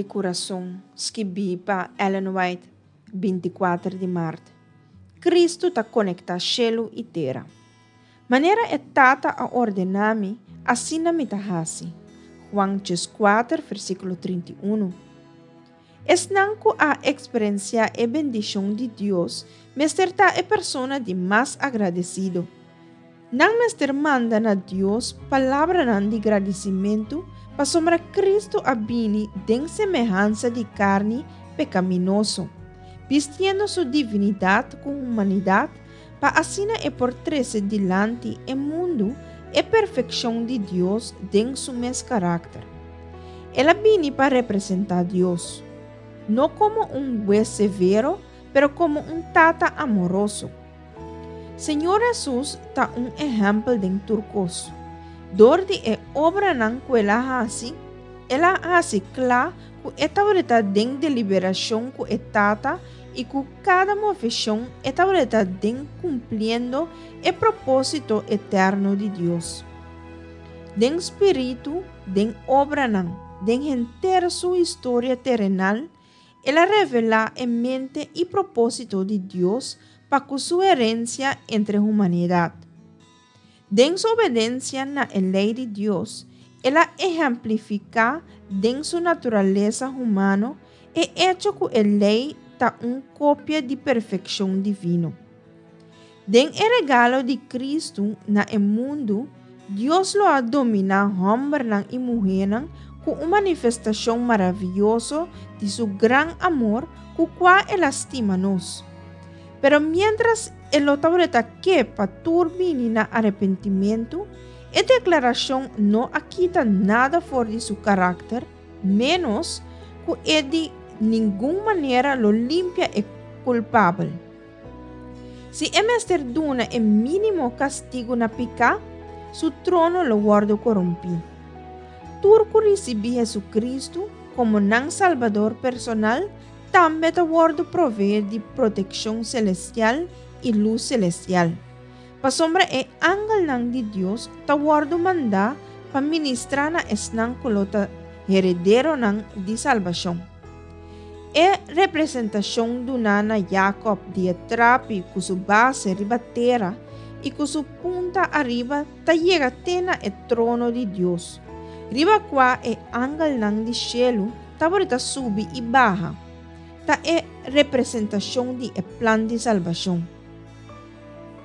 Kurason, skibí pa Ellen White, 24 di mart. Kristu ta konektá shelu i tera. Manera e Tata a ordená mi, asina mi ta hasi. Juan 14, versíkulo 31. Esnan ku a eksperensiá e bendishon di Dios mester ta e persona di mas agradesido. Nan mester manda na Dios palabranan di gradisimentu pasobra Kristu a bini den semehansa di karni pekaminoso, bistiendo su divinidat ku humanidat pa asina e por trese dilanti e mundu e perfekshon di Dios den su mes karakter. El a bini pa representá Dios, no komo un hues severo, pero komo un Tata amoroso. Señor Hesus ta un ehèmpel den tur kos. Dor di e obranan ku el a hasi, el a hasi kla ku e tabata den deliberashon ku e Tata i ku kada moveshon e tabata den kumpliendo e propósito eterno di Dios. Den spiritu, den obranan, den henter su historia terenal, el a revelá e mente i propósito di Dios pa ku su herensia entre humanidat. Den su obedensia na e lei di Dios, el a ehemplifiká den su naturalesa humano e echo ku e lei ta un kopia di perfekshon divino. Den e regalo di Kristu na e mundu, Dios lo a dominá hòmbernan i muhénan ku un manifestashon maravioso di su gran amor ku kua el a stima nos. Pero miéntras e lo tabata ke pa tur bini na arepentimentu, e deklarashon no a kita nada for di su karakter, ménos ku e di ningun manera lo limpia e kulpabel. Si e mester duna e mínimo kastigu na piká, su trono lo wòrdu korumpí. Tur ku risibí Hesukristu komo nan Salbador personal tambe ta wòrdu proveé di protekshon selestial i lus selestial, pasobra e angelnan di Dios ta wòrdu mandá pa ministrá na esnan ku lo ta herederonan di salbashon. E representashon duná na Jakòb di e trapi ku su base riba tera i ku su punta ariba ta yega te na e trono di Dios, riba kua e angelnan di shelu tabata subi i baha, ta e representashon di e plan di salbashon.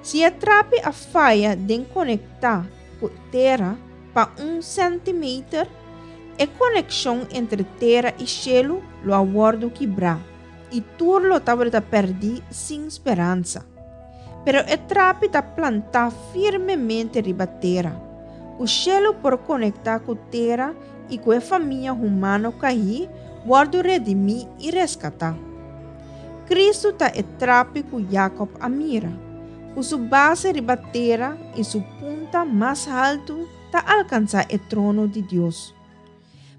Si e trapi a faya den konektá ku tera pa un sèntimeter, e konekshon entre tera i shelu lo a wòrdu kibrá i tur lo tabata pèrdí sin speransa. Pero e trapi ta plantá firmemente riba tera, ku shelu por konektá ku tera i ku e famia humano kaí wòrdu redimí i reskatá. Kristu ta e trapi ku Jakòb a mira, ku su base riba tera i su punta mas haltu ta alkansá e trono di Dios.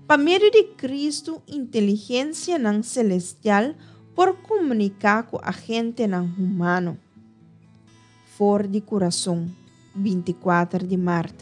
Pa medio di Kristu inteligensianan selestial por komuniká ku agentenan humano. For di kurason, 24 di mart.